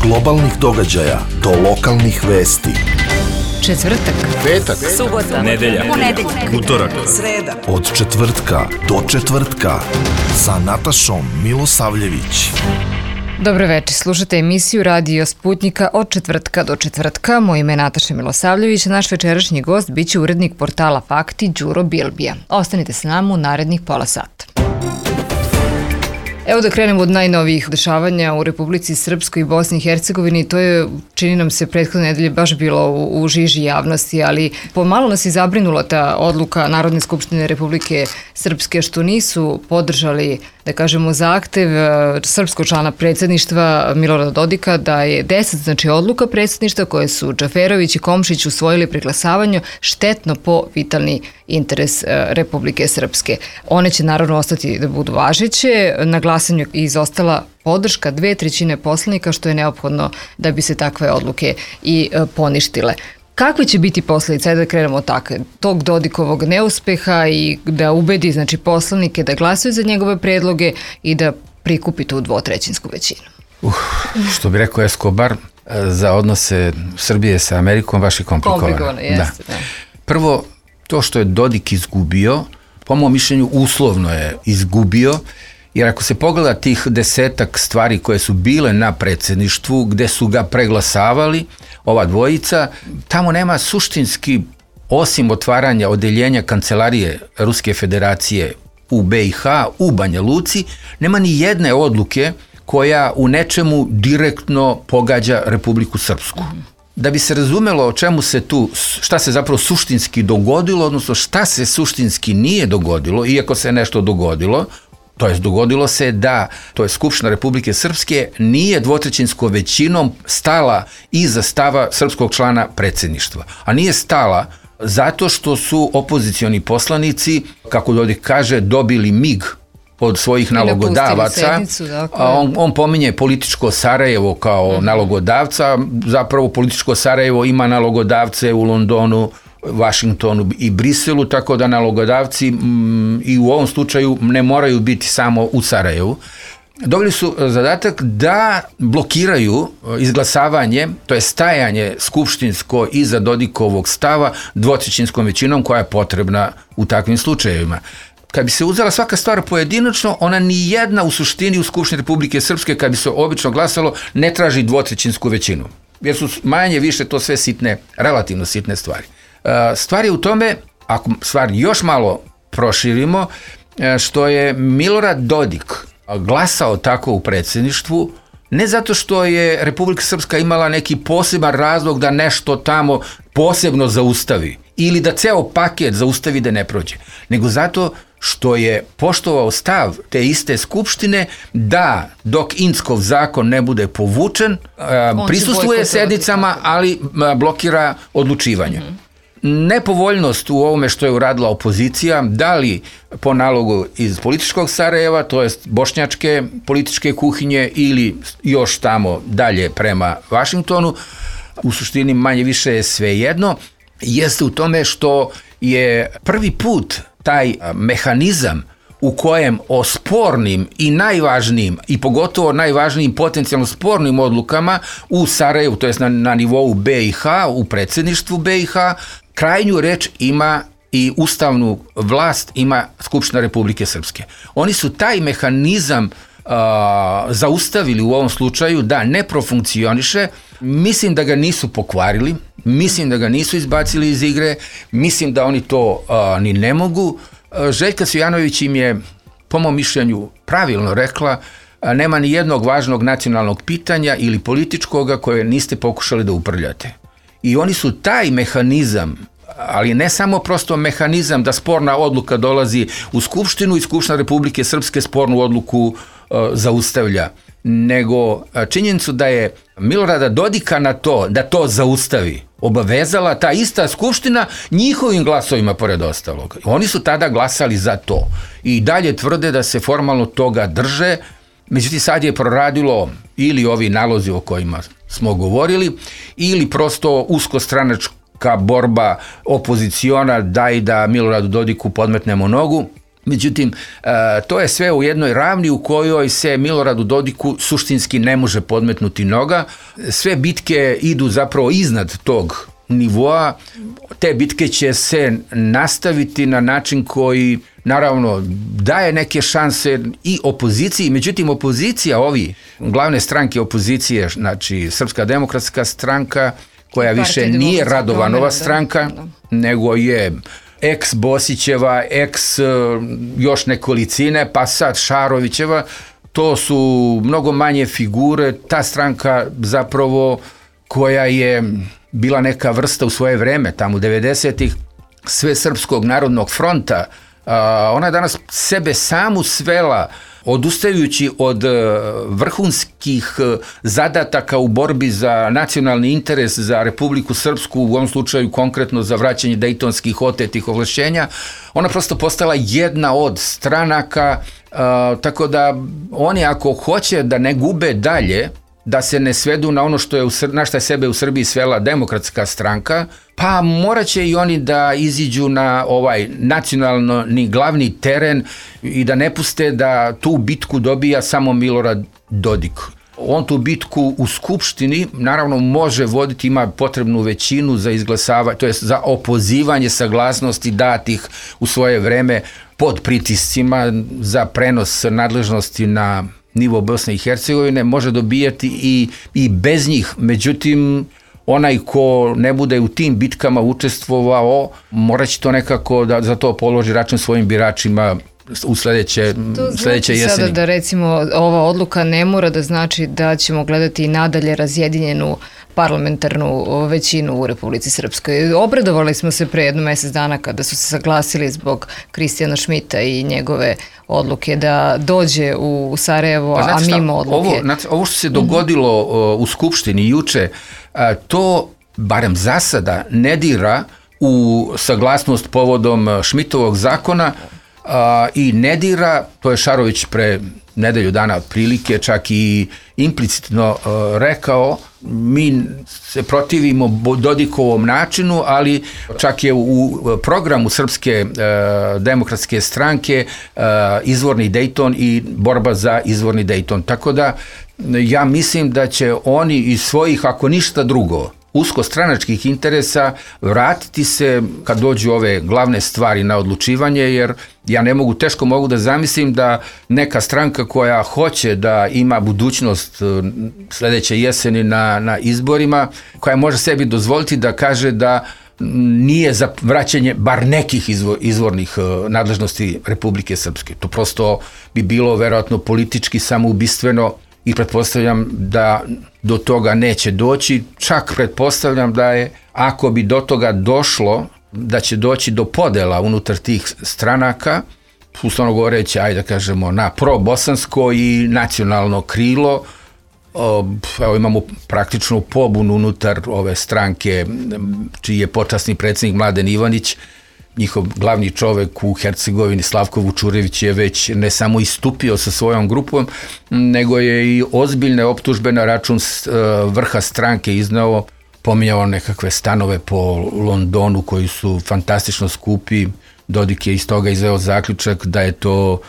globalnih događaja do lokalnih vesti. Četvrtak, petak, subota, nedelja, utorak, sreda. Od četvrtka do četvrtka sa Natašom Milosavljević. Dobro večer, slušate emisiju Radio Sputnika od četvrtka do četvrtka. Moje ime je Nataša Milosavljević, a naš večerašnji gost biće urednik portala Fakti Đuro Bilbija. Ostanite s nama u narednih pola sata. Evo da krenemo od najnovijih dešavanja u Republici Srpskoj i Bosni i Hercegovini. To je, čini nam se, prethodne nedelje baš bilo u žiži javnosti, ali pomalo nas je zabrinula ta odluka Narodne skupštine Republike Srpske što nisu podržali, da kažemo, zahtev srpskog člana predsjedništva Milorada Dodika da je 10, znači odluka predsjedništva koje su Džaferović i Komšić usvojili pri glasavanju štetno po vitalni interes Republike Srpske. One će naravno ostati da budu važeće. Na glasanju je izostala podrška 2/3 poslanika, što je neophodno da bi se takve odluke i poništile. Kakve će biti posljedice, da krenemo tako, tog Dodikovog neuspeha i da ubedi, znači, poslanike da glasaju za njegove predloge i da prikupi tu 2/3 većinu? Što bi rekao Escobar, za odnose Srbije sa Amerikom baš je komplikovano. Jeste, da. Prvo, to što je Dodik izgubio, po mom mišljenju uslovno je izgubio, jer ako se pogleda tih 10 stvari koje su bile na predsjedništvu, gde su ga preglasavali, ova dvojica, tamo nema suštinski, osim otvaranja odeljenja kancelarije Ruske federacije u BiH, u Banja Luci, nema ni jedne odluke koja u nečemu direktno pogađa Republiku Srpsku. Da bi se razumelo o čemu se tu, šta se zapravo suštinski dogodilo, odnosno šta se suštinski nije dogodilo, iako se nešto dogodilo, to jest dogodilo se da, to je Skupština Republike Srpske, nije 2/3 većinom stala iza stava srpskog člana predsjedništva. A nije stala zato što su opozicioni poslanici, kako Dodik kaže, dobili mig od svojih nalogodavaca. On pominje političko Sarajevo kao nalogodavca, zapravo političko Sarajevo ima nalogodavce u Londonu, Vašingtonu i Briselu, tako da nalogodavci i u ovom slučaju ne moraju biti samo u Sarajevu. Dobili su zadatak da blokiraju izglasavanje, to je stajanje skupštinsko iza Dodikovog stava 2/3 većinom koja je potrebna u takvim slučajevima. Kad bi se uzela svaka stvar pojedinačno, ona ni jedna u suštini u Skupštini Republike Srpske, kad bi se obično glasalo, ne traži 2/3 većinu. Jer su manje više to sve sitne, relativno sitne stvari. Stvar je u tome, ako stvar još malo proširimo, što je Milorad Dodik glasao tako u predsjedništvu, ne zato što je Republika Srpska imala neki poseban razlog da nešto tamo posebno zaustavi ili da ceo paket zaustavi da ne prođe, nego zato što je poštovao stav te iste skupštine da dok Inckov zakon ne bude povučen, prisustvuje sednicama, ali blokira odlučivanje. Nepovoljnost u ovome što je uradila opozicija, da li po nalogu iz političkog Sarajeva, to jest bošnjačke političke kuhinje ili još tamo dalje prema Vašingtonu, u suštini manje više je svejedno, jeste u tome što je prvi put taj mehanizam u kojem o spornim i najvažnijim i pogotovo najvažnijim potencijalno spornim odlukama u Sarajevu, to jest na nivou BiH, u predsjedništvu BiH, krajnju reč ima i ustavnu vlast ima Skupština Republike Srpske. Oni su taj mehanizam zaustavili u ovom slučaju da ne profunkcioniše. Mislim da ga nisu pokvarili, mislim da ga nisu izbacili iz igre, mislim da oni to ni ne mogu. Željka Cvijanović im je, po mom mišljenju, pravilno rekla, nema ni jednog važnog nacionalnog pitanja ili političkoga koje niste pokušali da uprljate. I oni su taj mehanizam, ali ne samo prosto mehanizam da sporna odluka dolazi u Skupštinu i Skupština Republike Srpske spornu odluku zaustavlja, nego činjenicu da je Milorada Dodika na to, da to zaustavi, obavezala ta ista Skupština njihovim glasovima pored ostalog. Oni su tada glasali za to i dalje tvrde da se formalno toga drže. Međutim, sad je proradilo ili ovi nalozi o kojima smo govorili, ili prosto uskostranačka borba opoziciona, daj da Miloradu Dodiku podmetnemo nogu. Međutim, to je sve u jednoj ravni u kojoj se Miloradu Dodiku suštinski ne može podmetnuti noga. Sve bitke idu zapravo iznad tog nivoa. Te bitke će se nastaviti na način koji naravno daje neke šanse i opoziciji, međutim opozicija, glavne stranke opozicije, znači Srpska demokratska stranka, koja više nije Radovanova stranka, nego je ex Bosićeva, ex još nekolicine, pa sad Šarovićeva, to su mnogo manje figure. Ta stranka zapravo koja je bila neka vrsta u svoje vreme, tamo u 90-ih, Svesrpskog narodnog fronta, ona je danas sebe samu svela, odustajući od vrhunskih zadataka u borbi za nacionalni interes, za Republiku Srpsku, u ovom slučaju konkretno za vraćanje dejtonskih otetih ovlašćenja, ona prosto postala jedna od stranaka, tako da oni ako hoće da ne gube dalje, da se ne svedu na ono na što je sebe u Srbiji svela Demokratska stranka, pa morat će i oni da iziđu na ovaj nacionalni glavni teren i da ne puste da tu bitku dobija samo Milorad Dodik. On tu bitku u Skupštini naravno može voditi, ima potrebnu većinu za izglasavanje, to je za opozivanje saglasnosti datih u svoje vreme pod pritiscima za prenos nadležnosti na nivo Bosne i Hercegovine, može dobijati i bez njih. Međutim, onaj ko ne bude u tim bitkama učestvovao, morat će to nekako da za to položi račun svojim biračima u sledeće jeseni. Sada da recimo ova odluka ne mora da znači da ćemo gledati i nadalje razjedinjenu parlamentarnu većinu u Republici Srpskoj. Obradovali smo se pre jedno mesec dana kada su se saglasili zbog Kristijana Šmita i njegove odluke da dođe u Sarajevo, a mimo odluke. Ovo što se dogodilo u Skupštini juče, to barem za sada ne dira u saglasnost povodom Šmitovog zakona i ne dira, to je Šarović pre nedelju dana prilike čak i implicitno rekao, mi se protivimo Dodikovom načinu, ali čak je u programu Srpske demokratske stranke izvorni Dejton i borba za izvorni Dejton. Tako da ja mislim da će oni iz svojih, ako ništa drugo, uskostranačkih interesa vratiti se kad dođu ove glavne stvari na odlučivanje, jer ja teško mogu da zamislim da neka stranka koja hoće da ima budućnost sledeće jeseni na izborima, koja može sebi dozvoliti da kaže da nije za vraćanje bar nekih izvornih nadležnosti Republike Srpske. To prosto bi bilo verovatno politički samoubistveno i pretpostavljam da do toga neće doći. Čak pretpostavljam da je, ako bi do toga došlo, da će doći do podela unutar tih stranaka, uslovno govoreći, ajde da kažemo, na pro-bosansko i nacionalno krilo. Evo imamo praktičnu pobunu unutar ove stranke, čiji je počasni predsjednik Mladen Ivanić. Njihov glavni čovek u Hercegovini, Slavko Vučurević, je već ne samo istupio sa svojom grupom, nego je i ozbiljne optužbe na račun vrha stranke iznao, pominjao nekakve stanove po Londonu koji su fantastično skupi. Dodik je iz toga izveo zaključak da je to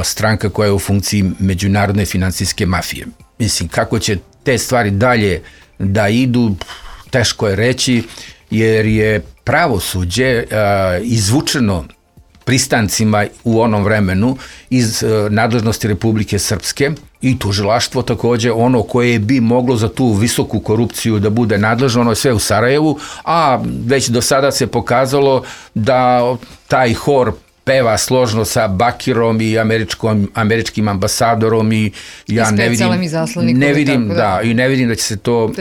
stranka koja je u funkciji međunarodne finansijske mafije. Mislim, kako će te stvari dalje da idu, teško je reći, jer je pravosuđe izvučeno pristancima u onom vremenu iz nadležnosti Republike Srpske i tužilaštvo takođe ono koje bi moglo za tu visoku korupciju da bude nadležno, ono je sve u Sarajevu, a već do sada se pokazalo da taj hor peva složno sa Bakirom i američkim ambasadorom i ja ne vidim da će se to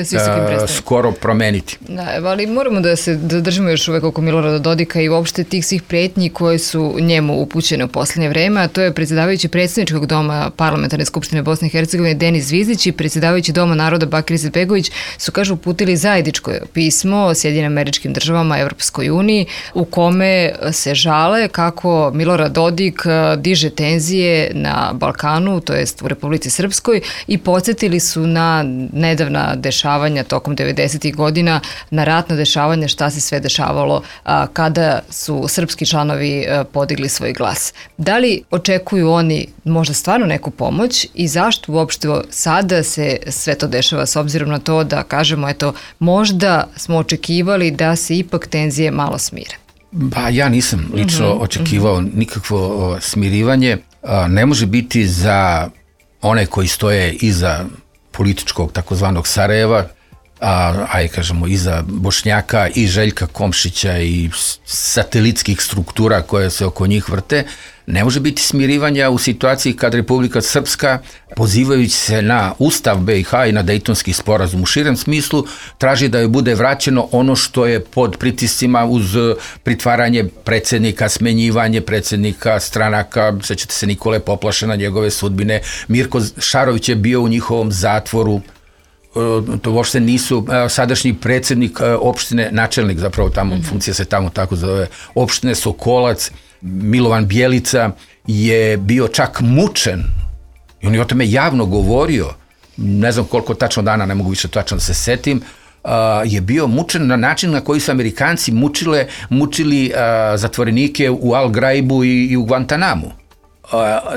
skoro promeniti. Da, ali moramo da držimo još uvek oko Milorada Dodika i uopšte tih svih pretnji koje su njemu upućene u poslednje vreme, a to je predsjedavajući predsjedničkog doma Parlamentarne skupštine Bosne i Hercegovine Denis Zvizdić i predsjedavajući Doma naroda Bakir Izetbegović su, kažu, uputili zajedničko pismo Sjedinjenim Američkim Državama, Evropskoj uniji, u kome se žale kako kako Milorad Dodik diže tenzije na Balkanu, to jest u Republici Srpskoj, i podsjetili su na nedavna dešavanja tokom 90. godina, na ratna dešavanja, šta se sve dešavalo kada su srpski članovi podigli svoj glas. Da li očekuju oni možda stvarno neku pomoć i zašto uopšte sada se sve to dešava, s obzirom na to da kažemo, eto, možda smo očekivali da se ipak tenzije malo smire? Pa ja nisam lično očekivao nikakvo smirivanje. Ne može biti za one koji stoje iza političkog takozvanog Sarajeva, kažemo iza Bošnjaka i Željka Komšića i satelitskih struktura koje se oko njih vrte, ne može biti smirivanja u situaciji kad Republika Srpska, pozivajući se na Ustav BiH i na Dejtonski sporazum u širem smislu, traži da joj bude vraćeno ono što je pod pritiscima uz pritvaranje predsjednika, smenjivanje predsjednika stranaka, sećate se Nikole Poplašena, njegove sudbine, Mirko Šarović je bio u njihovom zatvoru, to uopšte nisu, sadašnji predsjednik opštine, načelnik zapravo tamo, funkcija se tamo tako zove, opštine Sokolac, Milovan Bjelica je bio čak mučen i on je o tome javno govorio, ne znam koliko tačno dana, ne mogu više tačno da se setim, je bio mučen na način na koji su Amerikanci mučili zatvorenike u Al Graibu i u Guantanamu.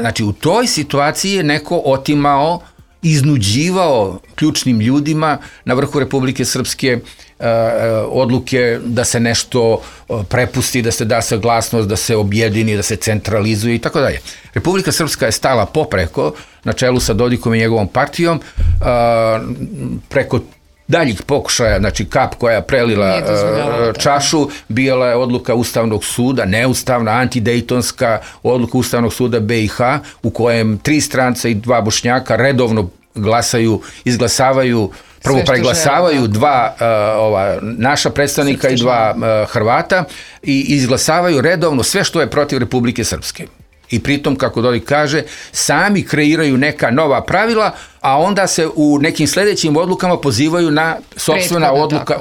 Znači u toj situaciji je neko otimao, iznuđivao ključnim ljudima na vrhu Republike Srpske odluke da se nešto prepusti, da se da saglasnost, da se objedini, da se centralizuje i tako dalje. Republika Srpska je stala popreko, na čelu sa Dodikom i njegovom partijom, preko daljih pokušaja, znači kap koja je prelila čašu, bila je odluka Ustavnog suda, neustavna, antidejtonska odluka Ustavnog suda BiH, u kojem 3 stranca i 2 Bošnjaka redovno izglasavaju, prvo preglasavaju 2 naša predstavnika i 2 Hrvata i izglasavaju redovno sve što je protiv Republike Srpske. I pritom, kako Dodik kaže, sami kreiraju neka nova pravila, a onda se u nekim sljedećim odlukama pozivaju na sopstvena odluka,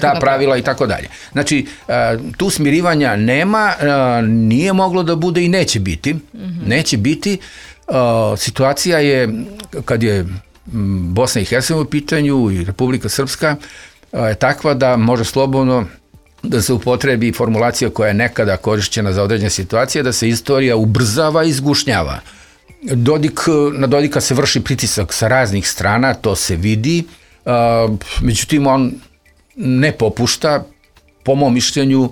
ta pravila i tako dalje. Znači, tu smirivanja nema, nije moglo da bude i neće biti. Neće biti. Situacija je, kad je Bosna i Hercegovina u pitanju i Republika Srpska, je takva da može slobodno da se upotrebi formulacija koja je nekada korišćena za određene situacije, da se istorija ubrzava i izgušnjava. Na Dodika se vrši pritisak sa raznih strana, to se vidi, međutim on ne popušta, po mom mišljenju,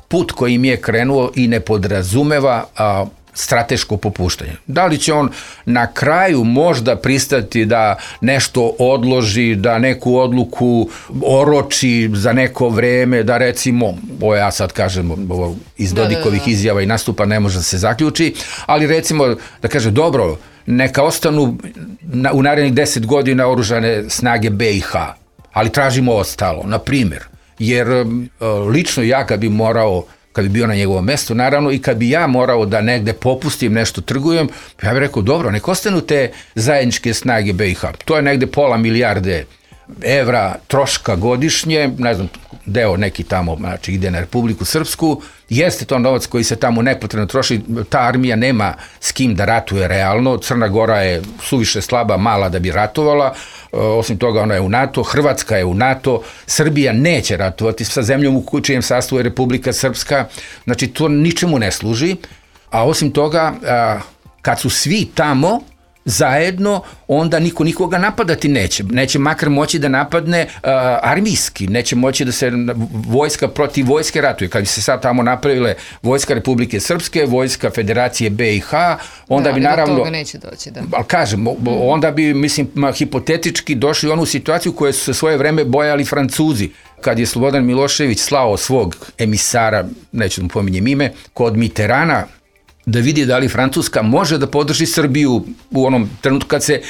put kojim je krenuo i ne podrazumeva strateško popuštanje. Da li će on na kraju možda pristati da nešto odloži, da neku odluku oroči za neko vreme, da recimo, ovo ja sad kažem, iz Dodikovih izjava i nastupa ne može da se zaključi, ali recimo da kaže, dobro, neka ostanu u narednih 10 godina oružane snage BiH, ali tražimo ostalo, na primjer, jer lično ja kad bi bio na njegovom mjestu, naravno, i kad bi ja morao da negde popustim, nešto trgujem, ja bih rekao, dobro, nek ostanu te zajedničke snage BiH. To je negde £500 milijarde evra troška godišnje, ne znam, deo neki tamo, znači ide na Republiku Srpsku, jeste to novac koji se tamo nepotrebno troši, ta armija nema s kim da ratuje realno, Crna Gora je suviše slaba, mala da bi ratovala, osim toga ona je u NATO, Hrvatska je u NATO, Srbija neće ratovati sa zemljom u čijem sastavu je Republika Srpska, znači to ničemu ne služi, a osim toga, kad su svi tamo zajedno, onda niko nikoga napadati neće makar moći da napadne armijski, neće moći da se vojska protiv vojske ratuje. Kad bi se sad tamo napravile vojska Republike Srpske, vojska Federacije BiH, onda bi naravno... Do toga neće doći, da. Ali kažem, onda bi, mislim, hipotetički došli u onu situaciju koju su se svoje vreme bojali Francuzi. Kad je Slobodan Milošević slao svog emisara, neću da mu pominjem ime, kod Mitterana, da vidi da li Francuska može da podrži Srbiju u onom trenutku kad se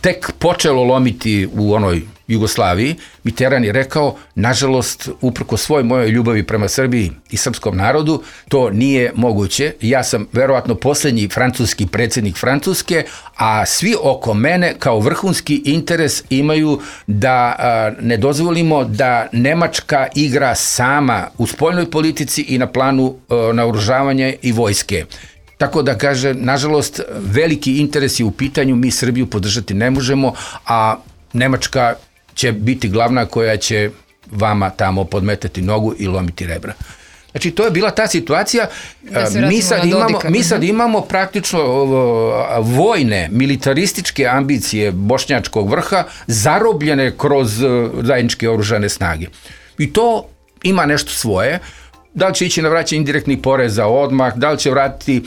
tek počelo lomiti u onoj Jugoslaviji, Mitterrand je rekao, nažalost, uprko svoj mojoj ljubavi prema Srbiji i srpskom narodu, to nije moguće. Ja sam verovatno posljednji francuski predsjednik Francuske, a svi oko mene kao vrhunski interes imaju da ne dozvolimo da Nemačka igra sama u spoljnoj politici i na planu naoružavanja i vojske. Tako da kaže, nažalost, veliki interes je u pitanju, mi Srbiju podržati ne možemo, a Nemačka će biti glavna koja će vama tamo podmetati nogu i lomiti rebra. Znači, to je bila ta situacija. Mi sad imamo praktično vojne, militarističke ambicije bošnjačkog vrha zarobljene kroz zajedničke oružane snage. I to ima nešto svoje. Da li će ići na vraćanje indirektnih poreza odmah, da li će vratiti,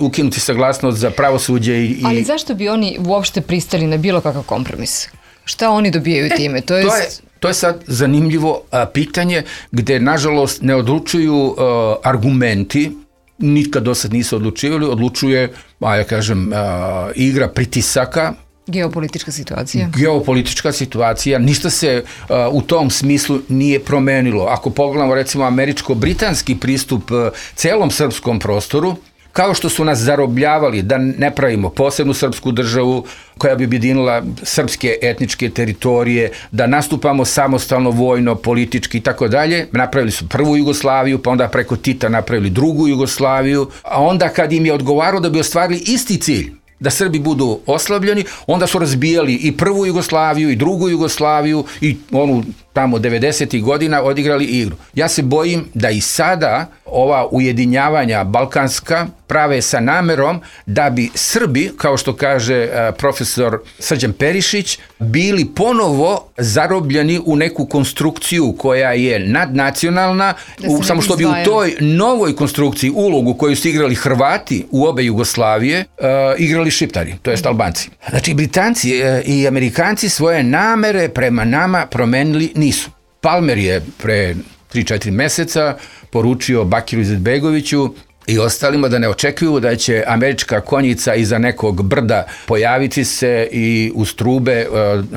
ukinuti saglasnost za pravosuđe Ali zašto bi oni uopšte pristali na bilo kakav kompromis? Šta oni dobijaju time? To je sad zanimljivo pitanje gde, nažalost, ne odlučuju argumenti, nikad do sad nisu odlučivali, odlučuje, igra pritisaka, Geopolitička situacija, ništa se u tom smislu nije promenilo. Ako pogledamo recimo američko-britanski pristup celom srpskom prostoru, kao što su nas zarobljavali da ne pravimo posebnu srpsku državu koja bi objedinila srpske etničke teritorije, da nastupamo samostalno, vojno, politički i tako dalje. Napravili su prvu Jugoslaviju, pa onda preko Tita napravili drugu Jugoslaviju, a onda kad im je odgovaralo da bi ostvarili isti cilj, da Srbi budu oslabljeni, onda su razbijali i prvu Jugoslaviju i drugu Jugoslaviju i onu tamo 90. godina odigrali igru. Ja se bojim da i sada ova ujedinjavanja balkanska prave sa namerom da bi Srbi, kao što kaže profesor Srđan Perišić, bili ponovo zarobljeni u neku konstrukciju koja je nadnacionalna, samo što bi u toj novoj konstrukciji ulogu koju su igrali Hrvati u obe Jugoslavije, igrali Šiptari, to jest Albanci. Znači, Britanci i Amerikanci svoje namere prema nama promenili nisu. Palmer je pre 3-4 meseca poručio Bakiru Izetbegoviću i ostalima da ne očekuju da će američka konjica iza nekog brda pojaviti se i uz trube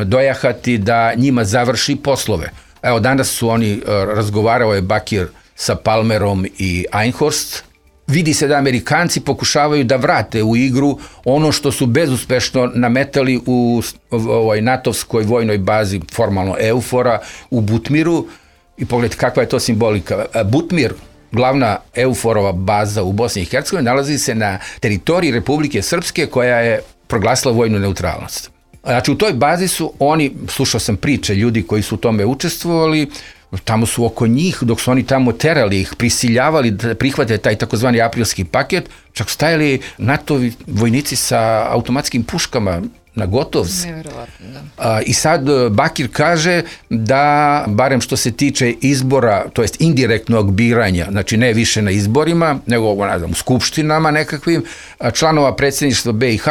dojahati da njima završi poslove. Evo, danas su oni, razgovarao je Bakir sa Palmerom i Einhorst. Vidi se da Amerikanci pokušavaju da vrate u igru ono što su bezuspešno nametali u ovoj natovskoj vojnoj bazi, formalno EUFOR-a, u Butmiru. I pogledajte kakva je to simbolika. Butmir, glavna EUFOR-ova baza u Bosni i Hercegovini, nalazi se na teritoriji Republike Srpske koja je proglasila vojnu neutralnost. Znači, u toj bazi su oni, slušao sam priče ljudi koji su u tome učestvovali, tamo su oko njih, dok su oni tamo terali ih, prisiljavali da prihvate taj takozvani aprilski paket, čak stajali NATO-vi vojnici sa automatskim puškama na gotovci. Neverovatno, da. I sad Bakir kaže da, barem što se tiče izbora, to jest indirektnog biranja, znači ne više na izborima, nego u skupštinama nekakvim, članova predsjedništva BiH,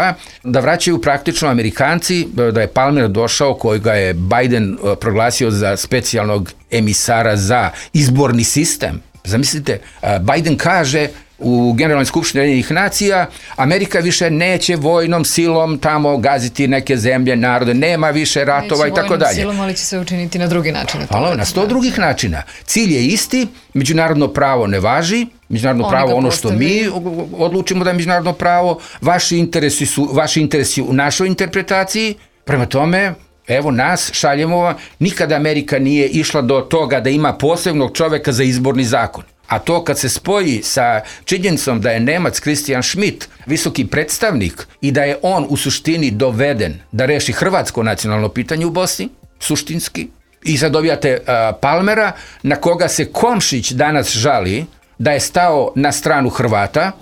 da vraćaju praktično Amerikanci, da je Palmer došao, kojega je Biden proglasio za specijalnog emisara za izborni sistem. Zamislite, Biden kaže u Generalnoj skupštini Ujedinjenih nacija, Amerika više neće vojnom silom tamo gaziti neke zemlje, narode, nema više ratova i tako dalje. Neće vojnom silom, ali će se učiniti na drugi način. Hvala, na 100 drugih načina. Cilj je isti, međunarodno pravo ne važi, međunarodno pravo ono što mi odlučimo da je međunarodno pravo, vaši interesi u našoj interpretaciji, prema tome, evo nas, šaljemo vam, nikada Amerika nije išla do toga da ima posebnog čoveka za izborni zakon. A to kad se spoji sa činjenicom da je Nemac Christian Schmidt visoki predstavnik i da je on u suštini doveden da reši hrvatsko nacionalno pitanje u Bosni, suštinski, i sad dobijate Palmera na koga se Komšić danas žali da je stao na stranu Hrvata,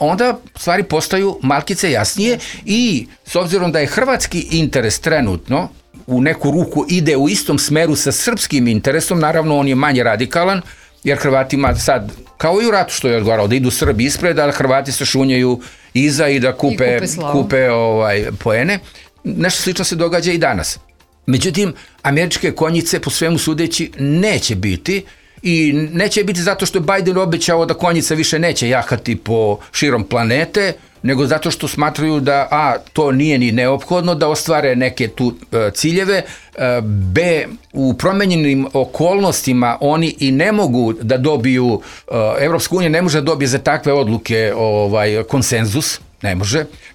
onda stvari postaju malkice jasnije i s obzirom da je hrvatski interes trenutno u neku ruku ide u istom smeru sa srpskim interesom, naravno on je manje radikalan, jer Hrvatima sad, kao i u ratu što je odgovarao, da idu Srbi ispred, a Hrvati se šunjaju iza i da kupe poene. Nešto slično se događa i danas. Međutim, američke konjice po svemu sudeći neće biti i neće biti zato što je Biden obećao da konjica više neće jahati po širom planete, nego zato što smatraju da to nije ni neophodno da ostvare neke tu ciljeve, B, u promenjenim okolnostima oni i ne mogu da dobiju, Evropska unija ne može da dobije za takve odluke konsenzus,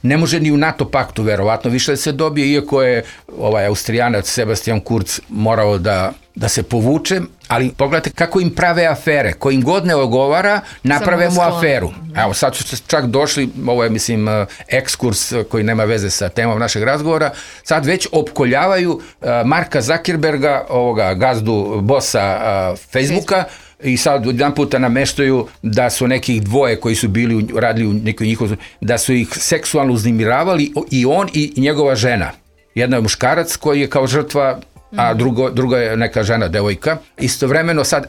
ne može ni u NATO paktu verovatno više da se dobije, iako je Austrijanac Sebastian Kurz morao da se povuče, ali pogledajte kako im prave afere, ko im god ne ogovara, naprave mu aferu. Evo, sad su čak došli, ovo je, mislim, ekskurs koji nema veze sa temom našeg razgovora, sad već opkoljavaju Marka Zuckerberga, gazdu, bossa Facebooka, i sad jedan puta nameštaju da su nekih dvoje koji su radili u nekoj njihovoj, da su ih seksualno uznemiravali i on i njegova žena. Jedna je muškarac koji je kao žrtva, a druga je neka žena, devojka. Istovremeno sad,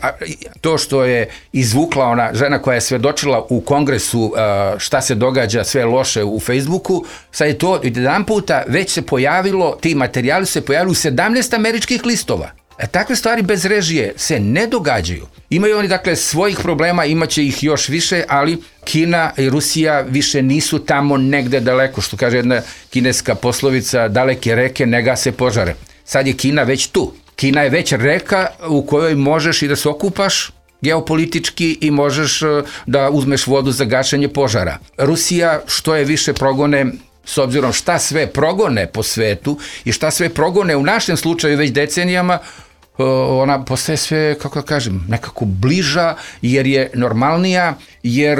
to što je izvukla ona žena koja je svedočila u kongresu šta se događa sve loše u Facebooku, sad je to jedan puta već se pojavilo, ti materijali se pojavili u 17 američkih listova. Takve stvari bez režije se ne događaju. Imaju oni, dakle, svojih problema, imaće ih još više, ali Kina i Rusija više nisu tamo negde daleko, što kaže jedna kineska poslovica, daleke reke ne gase požare. Sad je Kina već tu. Kina je već reka u kojoj možeš i da se okupaš geopolitički i možeš da uzmeš vodu za gašenje požara. Rusija što je više progone, s obzirom šta sve progone po svetu i šta sve progone u našem slučaju već decenijama, ona postaje sve, kako da kažem, nekako bliža, jer je normalnija, jer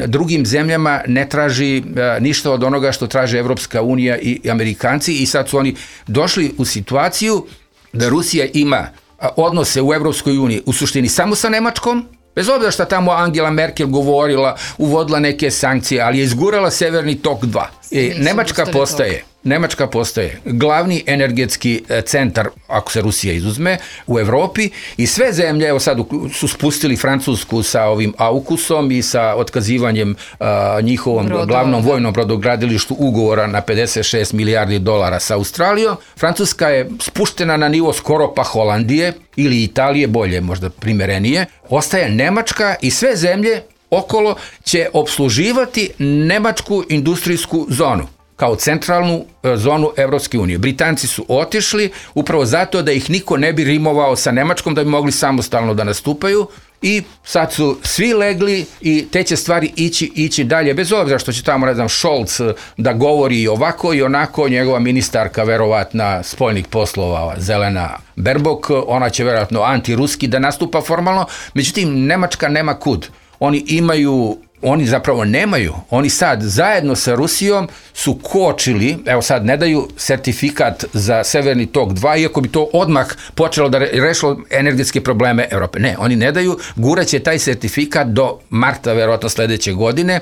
drugim zemljama ne traži ništa od onoga što traže Evropska unija i Amerikanci, i sad su oni došli u situaciju da Rusija ima odnose u Evropskoj uniji u suštini samo sa Nemačkom, bez obzira šta tamo Angela Merkel govorila, uvodila neke sankcije, ali je izgurala Severni tok 2. Nemačka postaje glavni energetski centar, ako se Rusija izuzme, u Evropi, i sve zemlje, evo sad su spustili Francusku sa ovim AUKUS-om i sa otkazivanjem njihovom glavnom vojnom brodogradilištu ugovora na 56 milijardi dolara sa Australijom. Francuska je spuštena na nivo skoro pa Holandije ili Italije, bolje možda primerenije. Ostaje Nemačka i sve zemlje okolo će opsluživati nemačku industrijsku zonu kao centralnu zonu Evropske unije. Britanci su otišli upravo zato da ih niko ne bi rimovao sa Nemačkom, da bi mogli samostalno da nastupaju, i sad su svi legli i te će stvari ići dalje, bez obzira što će tamo, ne znam, Scholz da govori ovako i onako, njegova ministarka verovatna spoljnih poslova, Zelena Baerbock, ona će verovatno antiruski da nastupa formalno, međutim Nemačka nema kud. Oni zapravo nemaju, oni sad zajedno sa Rusijom su kočili, evo sad ne daju sertifikat za Severni tok 2, iako bi to odmah počelo da rešilo energetske probleme Evrope. Ne, oni ne daju, guraće taj sertifikat do marta verovatno sledeće godine,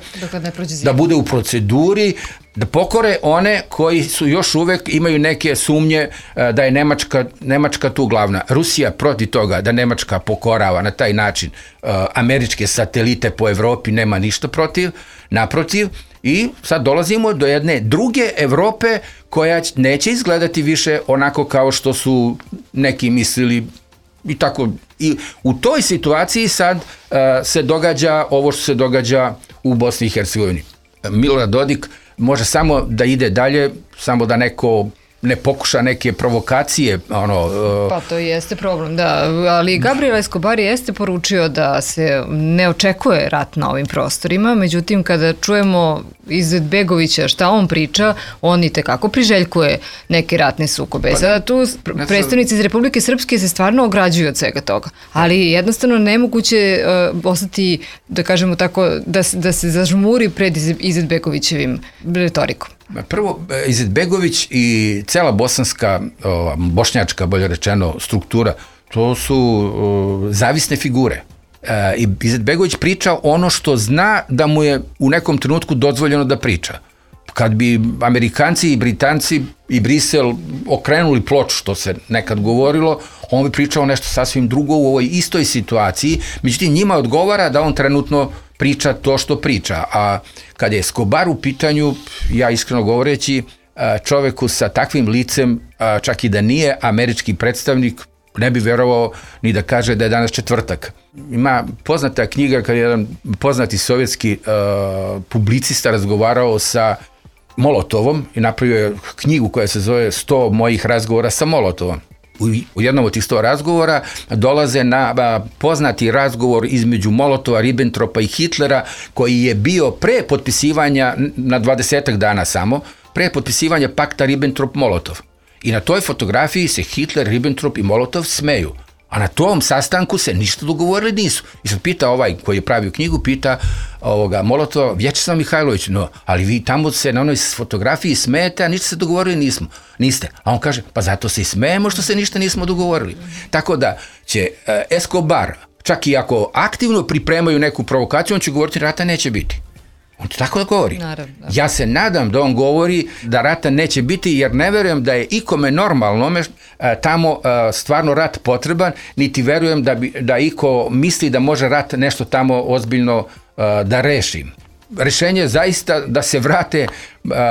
da bude u proceduri, da pokore one koji su još uvek imaju neke sumnje da je Nemačka tu glavna. Rusija protiv toga da Nemačka pokorava na taj način američke satelite po Evropi nema ništa protiv, naprotiv, i sad dolazimo do jedne druge Evrope koja neće izgledati više onako kao što su neki mislili i tako. I u toj situaciji sad se događa ovo što se događa u Bosni i Hercegovini. Milorad Dodik može samo da ide dalje, samo da neko ne pokuša neke provokacije. Pa to jeste problem, da. Ali Gabriel Escobar jeste poručio da se ne očekuje rat na ovim prostorima, međutim kada čujemo Izetbegovića šta on priča, on i tekako priželjkuje neke ratne sukobe. Sada tu predstavnici iz Republike Srpske se stvarno ograđuju od svega toga, ali jednostavno nemoguće ostati, da kažemo tako, da se zažmuri pred Izetbegovićevim retorikom. Prvo, Izetbegović i cela bošnjačka, bolje rečeno, struktura, to su zavisne figure. I Izetbegović priča ono što zna da mu je u nekom trenutku dozvoljeno da priča. Kad bi Amerikanci i Britanci i Brisel okrenuli ploču, što se nekad govorilo, on bi pričao nešto sasvim drugo u ovoj istoj situaciji, međutim njima odgovara da on trenutno priča to što priča. A kad je Escobar u pitanju, ja iskreno govoreći, čoveku sa takvim licem, čak i da nije američki predstavnik, ne bi verovao ni da kaže da je danas četvrtak. Ima poznata knjiga kada je jedan poznati sovjetski publicista razgovarao sa Molotovom i napravio je knjigu koja se zove 100 mojih razgovora sa Molotovom. U jednom od tih 100 razgovora dolaze na poznati razgovor između Molotova, Ribbentropa i Hitlera, koji je bio pre potpisivanja, na 20 dana samo, pre potpisivanja pakta Ribbentrop-Molotov. I na toj fotografiji se Hitler, Ribbentrop i Molotov smeju. A na tom sastanku se ništa dogovorili nisu. I sad pita ovaj koji je pravio knjigu, pita Molotova, Vječislav Mihajlović, no, ali vi tamo se na onoj fotografiji smijete, a ništa se dogovorili niste. A on kaže, pa zato se i smijemo što se ništa nismo dogovorili. Tako da će Escobar, čak i ako aktivno pripremaju neku provokaciju, on će govoriti rata neće biti. On to tako da govori. Naravno. Ja se nadam da on govori da rata neće biti, jer ne verujem da je ikome normalnome tamo stvarno rat potreban, niti verujem da iko misli da može rat nešto tamo ozbiljno da reši. Rešenje je zaista da se vrate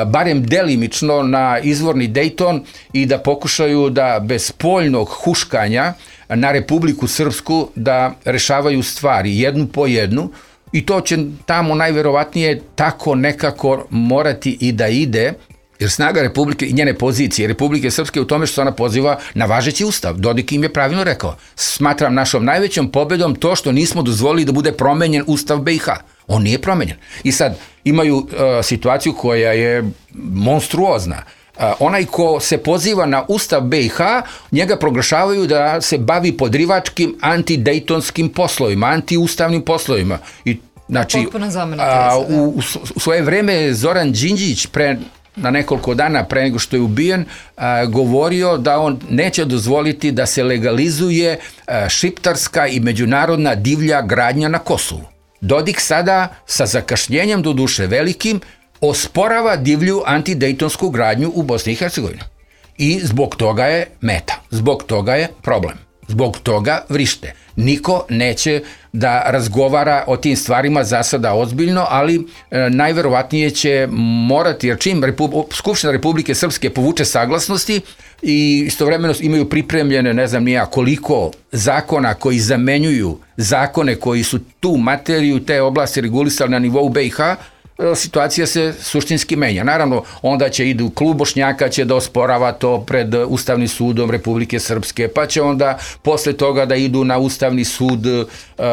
barem delimično na izvorni Dayton i da pokušaju da bez spoljnog huškanja na Republiku Srpsku da rešavaju stvari jednu po jednu. I to će tamo najverovatnije tako nekako morati i da ide, jer snaga Republike i njene pozicije Republike Srpske u tome što se ona poziva na važeći ustav. Dodik im je pravilno rekao. Smatram našom najvećom pobedom to što nismo dozvolili da bude promenjen ustav BiH. On nije promenjen. I sad imaju situaciju koja je monstruozna. Onaj ko se poziva na ustav BiH, njega proglašavaju da se bavi podrivačkim antidejtonskim poslovima, antiustavnim poslovima. I, znači, u svoje vreme Zoran Đinđić na nekoliko dana pre nego što je ubijen, govorio da on neće dozvoliti da se legalizuje šiptarska i međunarodna divlja gradnja na Kosovu. Dodik sada, sa zakašnjenjem do duše velikim, osporava divlju antidejtonsku gradnju u Bosni i Hercegovini. I zbog toga je meta, zbog toga je problem, zbog toga vrište. Niko neće da razgovara o tim stvarima za sada ozbiljno, ali najverovatnije će morati, jer čim Skupština Republike Srpske povuče saglasnosti i istovremeno imaju pripremljene ne znam nija koliko zakona koji zamenjuju zakone koji su tu materiju, te oblasti regulisali na nivou BiH, situacija se suštinski menja. Naravno, onda će idu klub Bošnjaka će da osporava to pred Ustavnim sudom Republike Srpske, pa će onda posle toga da idu na Ustavni sud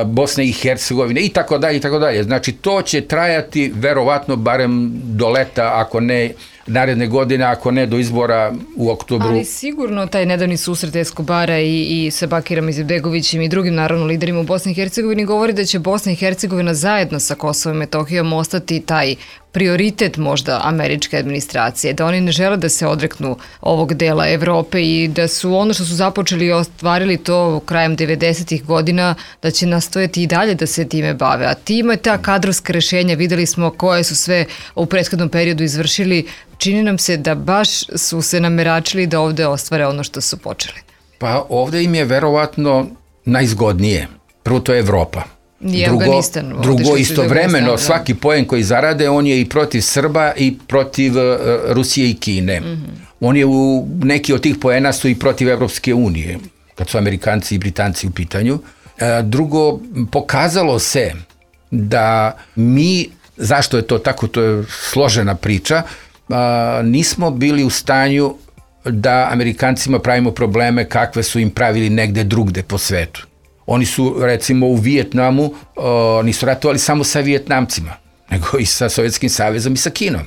Bosne i Hercegovine i tako dalje i tako dalje. Znači, to će trajati verovatno barem do leta, ako ne naredne godine, ako ne do izbora u oktobru. Ali sigurno taj nedavni susret Escobara i sa Bakirom Izetbegovićem i drugim naravno liderima u Bosni i Hercegovini govori da će Bosna i Hercegovina zajedno sa Kosovom i Metohijom ostati taj prioritet možda američke administracije, da oni ne žele da se odreknu ovog dela Evrope i da su ono što su započeli i ostvarili to krajem 90-ih godina, da će nastojati i dalje da se time bave. A time ta kadrovska rešenja, videli smo koje su sve u prethodnom periodu izvršili, čini nam se da baš su se nameračili da ovde ostvare ono što su počeli. Pa ovde im je verovatno najzgodnije. Prvo to je Evropa. Drugo istovremeno svaki poen koji zarade on je i protiv Srba i protiv Rusije i Kine. On je neki od tih poena su i protiv Evropske unije kad su Amerikanci i Britanci u pitanju. Drugo, pokazalo se da mi, zašto je to tako, to je složena priča, nismo bili u stanju da Amerikancima pravimo probleme kakve su im pravili negde drugde po svetu. Oni su, recimo, u Vijetnamu nisu ratovali samo sa Vijetnamcima, nego i sa Sovjetskim savezom i sa Kinom.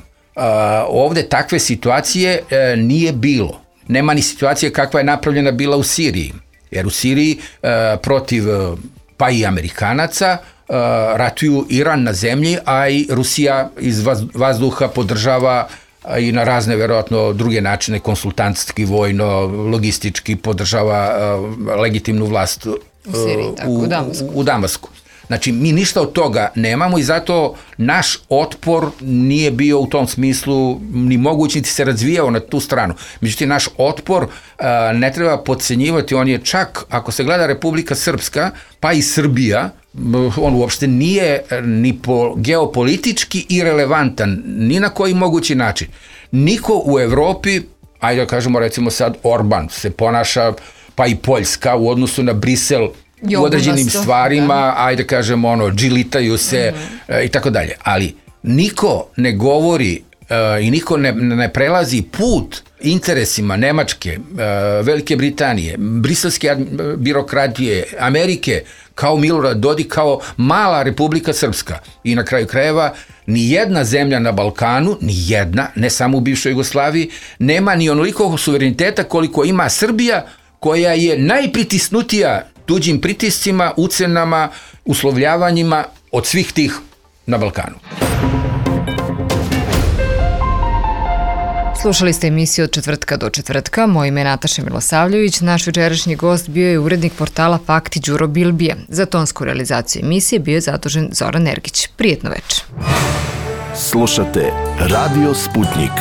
Ovde takve situacije nije bilo. Nema ni situacije kakva je napravljena bila u Siriji. Jer u Siriji protiv pa i Amerikanaca ratuju Iran na zemlji, a i Rusija iz vazduha podržava i na razne, verovatno, druge načine, konsultantski, vojno, logistički podržava legitimnu vlast u Damasku. Znači, mi ništa od toga nemamo i zato naš otpor nije bio u tom smislu ni moguć, niti se razvijao na tu stranu. Međutim, naš otpor ne treba podcenjivati, on je čak, ako se gleda Republika Srpska, pa i Srbija, on uopšte nije ni geopolitički irelevantan, ni na koji mogući način. Niko u Evropi, ajde da kažemo recimo sad Orban, se ponaša pa i Poljska u odnosu na Brisel u određenim stvarima, ajde kažemo, džilitaju se i tako dalje. Ali niko ne govori i niko ne prelazi put interesima Nemačke, Velike Britanije, briselske birokratije, Amerike, kao Milorad Dodik, kao mala Republika Srpska. I na kraju krajeva, ni jedna zemlja na Balkanu, ni jedna, ne samo u bivšoj Jugoslaviji, nema ni onoliko suvereniteta koliko ima Srbija, koja je najpritisnutija tuđim pritiscima, ucenama, uslovljavanjima od svih tih na Balkanu. Slušali ste emisiju Od četvrtka do četvrtka. Moje ime je Nataša Milosavljević. Naš večerašnji gost bio je urednik portala Fakti Đuro Bilbije. Za tonsku realizaciju emisije bio je zadužen Zoran Ergić. Prijetno večer. Slušate Radio Sputnik.